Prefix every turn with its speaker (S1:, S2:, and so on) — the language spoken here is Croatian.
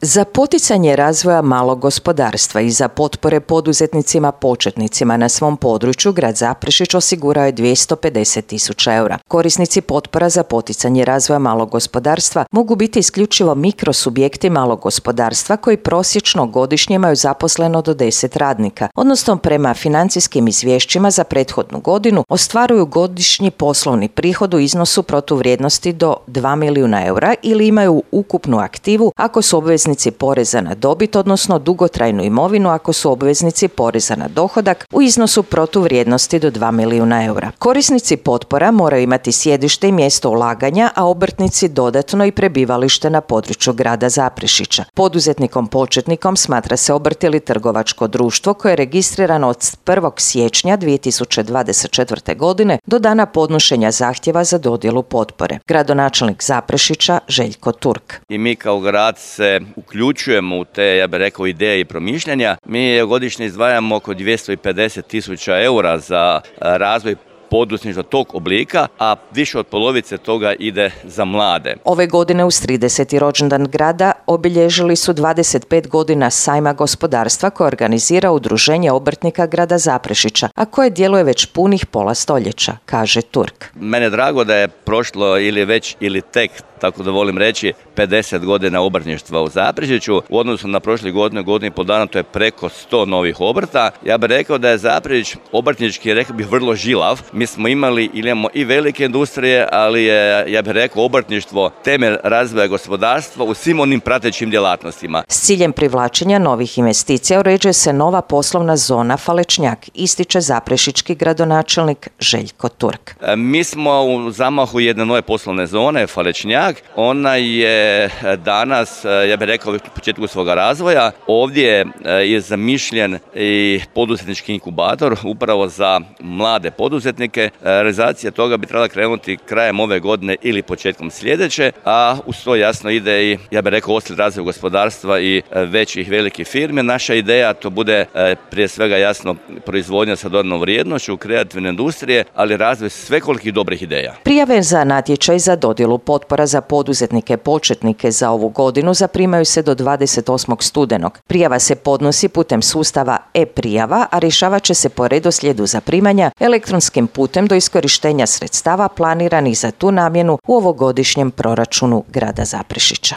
S1: Za poticanje razvoja malog gospodarstva i za potpore poduzetnicima početnicima na svom području grad Zaprešić osigurao je 250.000 eura. Korisnici potpora za poticanje razvoja malog gospodarstva mogu biti isključivo mikrosubjekti malog gospodarstva koji prosječno godišnje imaju zaposleno do 10 radnika, odnosno prema financijskim izvješćima za prethodnu godinu ostvaruju godišnji poslovni prihod u iznosu protuvrijednosti do 2 milijuna eura ili imaju ukupnu aktivu ako su obveznici poreza na dobit, odnosno dugotrajnu imovinu ako su obveznici poreza na dohodak u iznosu protuvrijednosti do 2 milijuna eura. Korisnici potpora moraju imati sjedište i mjesto ulaganja, a obrtnici dodatno i prebivalište na području grada Zaprešića. Poduzetnikom početnikom smatra se obrt ili trgovačko društvo koje je registrirano od 1. siječnja 2024. godine do dana podnošenja zahtjeva za dodjelu potpore. Gradonačelnik Zaprešića Željko Turk.
S2: I mi kao grad se uključujemo u te, ja bih rekao, ideje i promišljanja. Mi godišnje izdvajamo oko 250.000 eura za razvoj poduzetništva tog oblika, a više od polovice toga ide za mlade.
S1: Ove godine uz 30. rođendan grada obilježili su 25 godina sajma gospodarstva koje organizira Udruženje obrtnika grada Zaprešića, a koje djeluje već punih pola stoljeća, kaže Turk.
S2: Mene je drago da je prošlo ili tek, tako da volim reći, 50 godina obrtništva u Zaprešiću. U odnosu na prošle godine, godinu i pol dana, to je preko 100 novih obrta. Ja bih rekao da je Zaprešić obrtnički, rekao bih, vrlo žilav. Mi smo imamo i velike industrije, ali je, ja bih rekao, obrtništvo temelj razvoja gospodarstva u svim onim pratećim djelatnostima.
S1: S ciljem privlačenja novih investicija uređuje se nova poslovna zona Falečnjak, ističe zaprešički gradonačelnik Željko Turk.
S2: Mi smo u zamahu jedne nove poslovne zone, Falečnjak. Ona je danas, ja bih rekao, u početku svoga razvoja. Ovdje je zamišljen i poduzetnički inkubator upravo za mlade poduzetnike. Realizacija toga bi trebala krenuti krajem ove godine ili početkom sljedeće, a uz to jasno ide i, ja bih rekao, oslijed razvoja gospodarstva i većih velikih firmi. Naša ideja to bude prije svega jasno proizvodnja sa dodanom vrijednošću, kreativne industrije, ali razvoj svekolikih dobrih ideja.
S1: Prijave za natječaj za dodjelu potpora za poduzetnike početnike za ovu godinu zaprimaju se do 28. studenog. Prijava se podnosi putem sustava e-prijava, a rješavat će se po redoslijedu zaprimanja elektronskim putem do iskorištenja sredstava planiranih za tu namjenu u ovogodišnjem proračunu grada Zaprešića.